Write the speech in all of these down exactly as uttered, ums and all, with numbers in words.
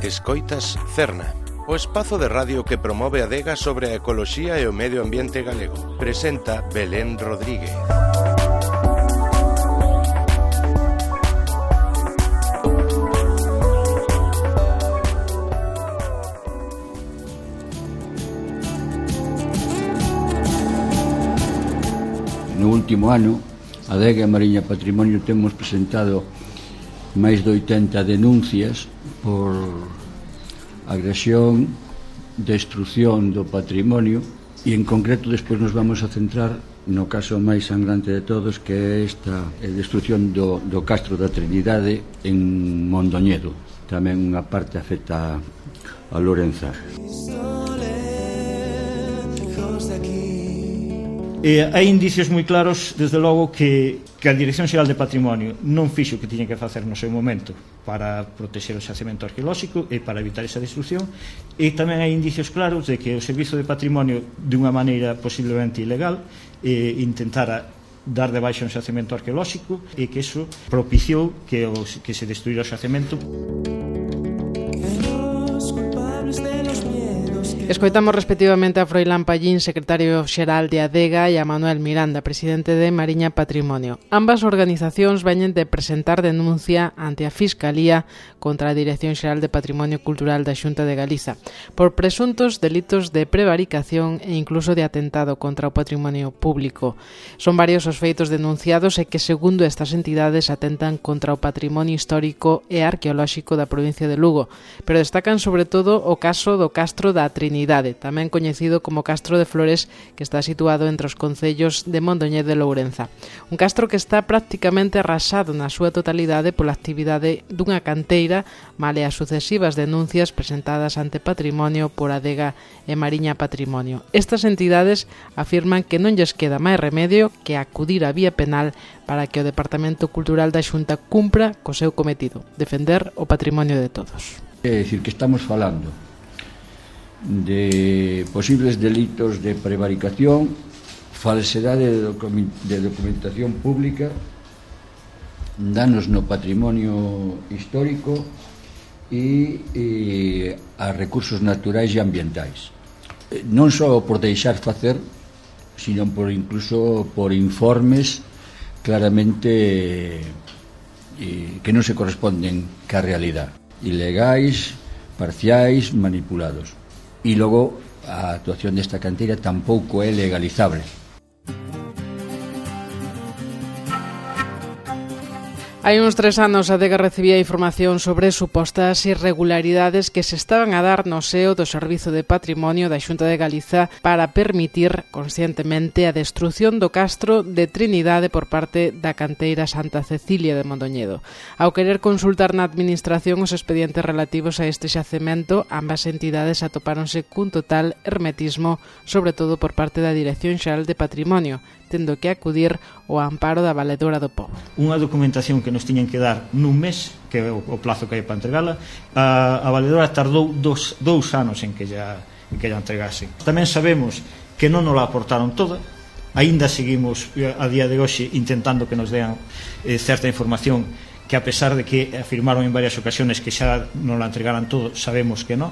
Escoitas Cerna, o espazo de radio que promove a adega sobre a ecoloxía e o medio ambiente galego. Presenta Belén Rodríguez. No último ano, a Adega Mariña Patrimonio temos presentado máis de oitenta denuncias por agresión, destrucción do patrimonio, e en concreto despois nos vamos a centrar no caso máis sangrante de todos, que é esta destrucción do, do Castro da Trinidade en Mondoñedo. Tamén unha parte afecta a Lorenza. Eh, hai indicios moi claros, desde logo, que, que a Dirección Xeral de Patrimonio non fixo o que tiña que facer no seu momento para protexer o xacemento arqueolóxico e para evitar esa destrucción, e tamén hai indicios claros de que o Servizo de Patrimonio, de unha maneira posiblemente ilegal, eh, intentara dar de baixa un xacemento arqueolóxico e que iso propiciou que, o, que se destruíra o xacemento. Escoitamos respectivamente a Froilán Pallín, secretario xeral de Adega, e a Manuel Miranda, presidente de Mariña Patrimonio. Ambas organizacións veñen de presentar denuncia ante a Fiscalía contra a Dirección Xeral de Patrimonio Cultural da Xunta de Galiza por presuntos delitos de prevaricación e incluso de atentado contra o patrimonio público. Son varios os feitos denunciados e que, segundo estas entidades, atentan contra o patrimonio histórico e arqueolóxico da provincia de Lugo, pero destacan sobre todo o caso do Castro da Trinidade, tamén coñecido como Castro de Flores, que está situado entre os concellos de Mondoñedo e Lourenza. Un castro que está prácticamente arrasado na súa totalidade pola actividade dunha canteira, male as sucesivas denuncias presentadas ante Patrimonio por Adega e Mariña Patrimonio. Estas entidades afirman que non lles queda máis remedio que acudir á vía penal para que o Departamento Cultural da Xunta cumpra co seu cometido, defender o patrimonio de todos. É dicir, que estamos falando de posibles delitos de prevaricación, falsedade de, docu de documentación pública, danos no patrimonio histórico e, e a recursos naturais e ambientais. Non só por deixar facer, sino por incluso por informes claramente eh, que non se corresponden ca realidade, ilegais, parciais, manipulados. E logo a actuación desta canteira tampouco é legalizable. Hai uns tres anos a Adega recibía información sobre supostas irregularidades que se estaban a dar no seo do Servizo de Patrimonio da Xunta de Galiza para permitir conscientemente a destrucción do Castro de Trinidade por parte da canteira Santa Cecilia de Mondoñedo. Ao querer consultar na administración os expedientes relativos a este xacemento, ambas entidades atopáronse cun total hermetismo, sobre todo por parte da Dirección Xeral de Patrimonio, tendo que acudir ao amparo da Valedora do Pobo. Unha documentación que nos tiñan que dar nun mes, que é o, o plazo que hai para entregala, a, a Valedora tardou dos, dous anos en que ya, en que ya entregase. Tamén sabemos que non nos la aportaron toda, aínda seguimos a día de hoxe intentando que nos dean eh, certa información que, a pesar de que afirmaron en varias ocasiones que xa nos la entregaran todo, sabemos que non.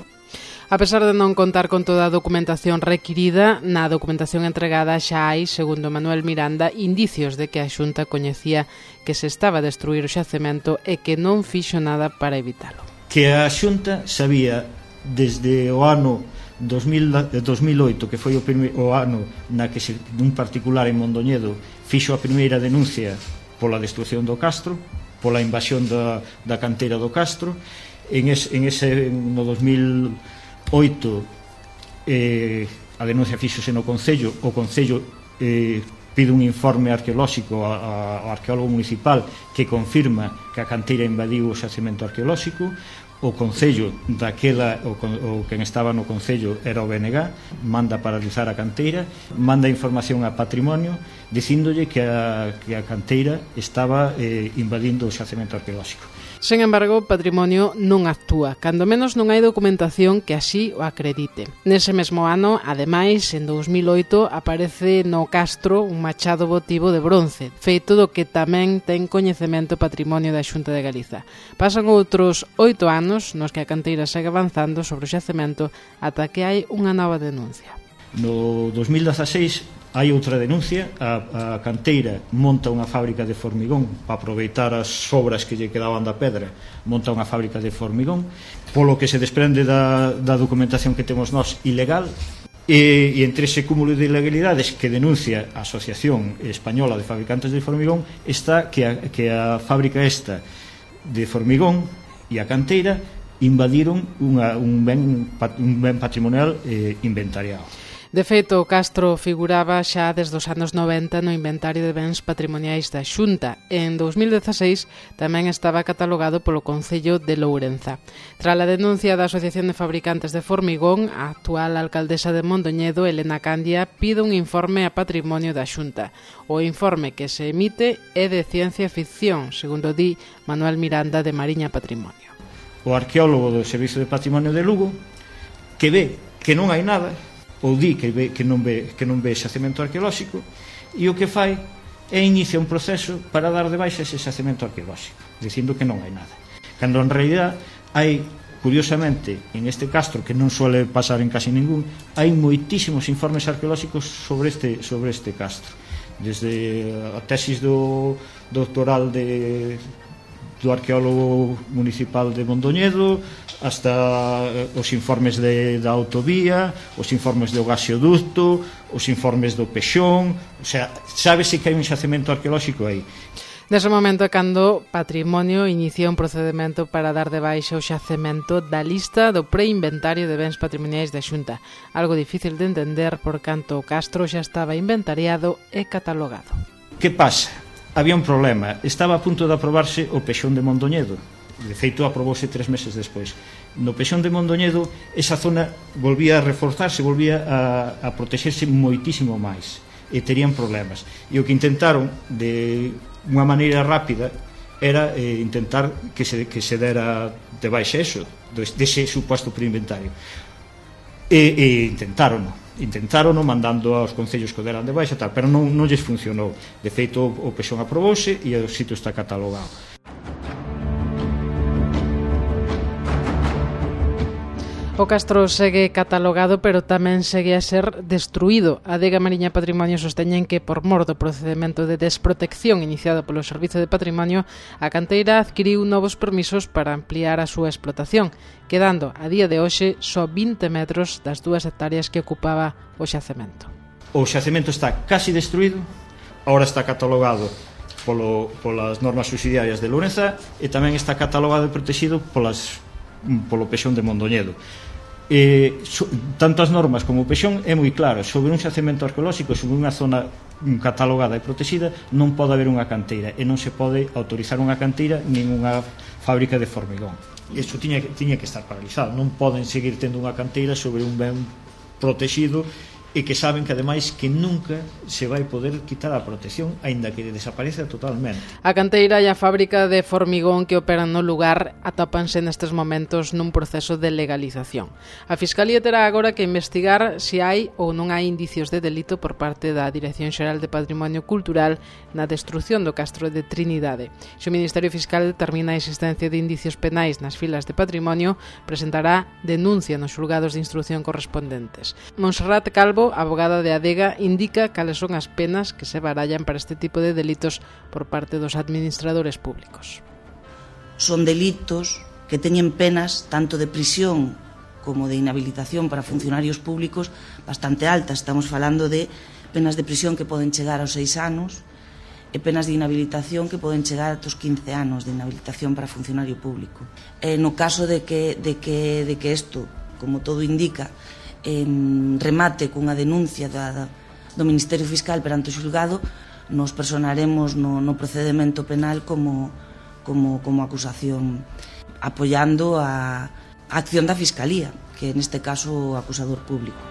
A pesar de non contar con toda a documentación requirida, na documentación entregada xa hai, segundo Manuel Miranda, indicios de que a Xunta coñecía que se estaba a destruir o xacemento e que non fixo nada para evitalo. Que a Xunta sabía desde o ano dos mil oito, que foi o, primeiro, o ano na que se, un particular en Mondoñedo fixo a primeira denuncia pola destrucción do Castro, pola invasión da, da canteira do Castro. En, es, en ese, no dos mil oito eh, a denuncia fíxose no Concello. O Concello eh, pide un informe arqueolóxico ao arqueólogo municipal que confirma que a canteira invadiu o xacemento arqueolóxico. O Concello daquela, o, o quen estaba no Concello era o B N G, manda paralizar a canteira, manda información a Patrimonio dicíndolle que a, que a canteira estaba eh, invadindo o xacemento arqueolóxico. Sen embargo, Patrimonio non actúa, cando menos non hai documentación que así o acredite. Nese mesmo ano, ademais, en dous mil oito, aparece no Castro un machado votivo de bronce, feito do que tamén ten coñecemento Patrimonio da Xunta de Galiza. Pasan outros oito anos nos que a canteira segue avanzando sobre o xacemento ata que hai unha nova denuncia. No dos mil dezaseis hai outra denuncia, a, a canteira monta unha fábrica de formigón para aproveitar as sobras que lle quedaban da pedra, monta unha fábrica de formigón, polo que se desprende da, da documentación que temos nós ilegal, e, e entre ese cúmulo de ilegalidades que denuncia a Asociación Española de Fabricantes de Formigón está que a, que a fábrica esta de formigón e a canteira invadiron unha, un, ben, un ben patrimonial eh, inventariado. De feito, o castro figuraba xa desde os anos noventa no inventario de bens patrimoniais da Xunta e en dous mil dezaseis tamén estaba catalogado polo Concello de Lourenza. Tras a denuncia da Asociación de Fabricantes de Formigón, a actual alcaldesa de Mondoñedo, Elena Candia, pide un informe a patrimonio da Xunta. O informe que se emite é de ciencia ficción, segundo di Manuel Miranda de Mariña Patrimonio. O arqueólogo do Servizo de Patrimonio de Lugo, que ve que non hai nada, ou di que, ve, que, non ve, que non ve xacemento arqueolóxico, e o que fai é inicia un proceso para dar de baixa ese xacemento arqueolóxico, dicindo que non hai nada. Cando en realidad hai, curiosamente, en este castro, que non suele pasar en casi ningún, hai moitísimos informes arqueolóxicos sobre este, sobre este castro. Desde a tesis do doctoral de... do arqueólogo municipal de Mondoñedo hasta os informes de, da autovía, os informes do gasoducto, os informes do Pexón, o sea, sábese que hai un xacemento arqueolóxico aí. Nese momento é cando Patrimonio inicia un procedimento para dar de baixa o xacemento da lista do preinventario de bens patrimoniais da Xunta, algo difícil de entender por canto o castro xa estaba inventariado e catalogado. Que pasa? Había un problema, estaba a punto de aprobarse o Pexón de Mondoñedo, de feito aprobouse tres meses despois. No Pexón de Mondoñedo esa zona volvía a reforzarse, volvía a, a protexerse moitísimo máis e terían problemas, e o que intentaron de unha maneira rápida era eh, intentar que se, que se dera de baixa eso, dese suposto preinventario, e, e intentaron intentaron mandando aos concellos que o deran de baixa tal, pero non, non lles funcionou. De feito o Pexón aprobouse e o sitio está catalogado. O castro segue catalogado, pero tamén segue a ser destruído. A Adega Mariña Patrimonio sosteñen que, por mor do procedimento de desprotección iniciado polo Servizo de Patrimonio, a canteira adquiriu novos permisos para ampliar a súa explotación, quedando a día de hoxe só vinte metros das dúas hectáreas que ocupaba o xacemento. O xacemento está casi destruído, agora está catalogado polo, polas normas subsidiarias de Lourenza e tamén está catalogado e protegido polas, polo Pexón de Mondoñedo. E, so, tanto as normas como o Pexón é moi claro, sobre un xacemento arqueolóxico, sobre unha zona catalogada e protegida non pode haber unha canteira e non se pode autorizar unha canteira nin unha fábrica de formigón. Isto tiña, tiña que estar paralizado, non poden seguir tendo unha canteira sobre un ben protegido e que saben que ademais que nunca se vai poder quitar a protección aínda que desapareza totalmente. A canteira e a fábrica de formigón que operan no lugar atópanse nestes momentos nun proceso de legalización. A Fiscalía terá agora que investigar se hai ou non hai indicios de delito por parte da Dirección Xeral de Patrimonio Cultural na destrucción do castro de Trinidade. Se o Ministerio Fiscal determina a existencia de indicios penais nas filas de patrimonio, presentará denuncia nos xulgados de instrucción correspondentes. Monserrat Calvo, abogada de Adega, indica cales son as penas que se barallan para este tipo de delitos por parte dos administradores públicos. Son delitos que teñen penas tanto de prisión como de inhabilitación para funcionarios públicos bastante altas. Estamos falando de penas de prisión que poden chegar aos seis anos e penas de inhabilitación que poden chegar aos quince anos de inhabilitación para funcionario público. E no caso de que, de que, de que isto, como todo indica, en remate cunha denuncia da, da, do Ministerio Fiscal perante o xulgado, nos personaremos no, no procedimento penal como, como, como acusación, apoiando a, a acción da Fiscalía, que neste caso o acusador público.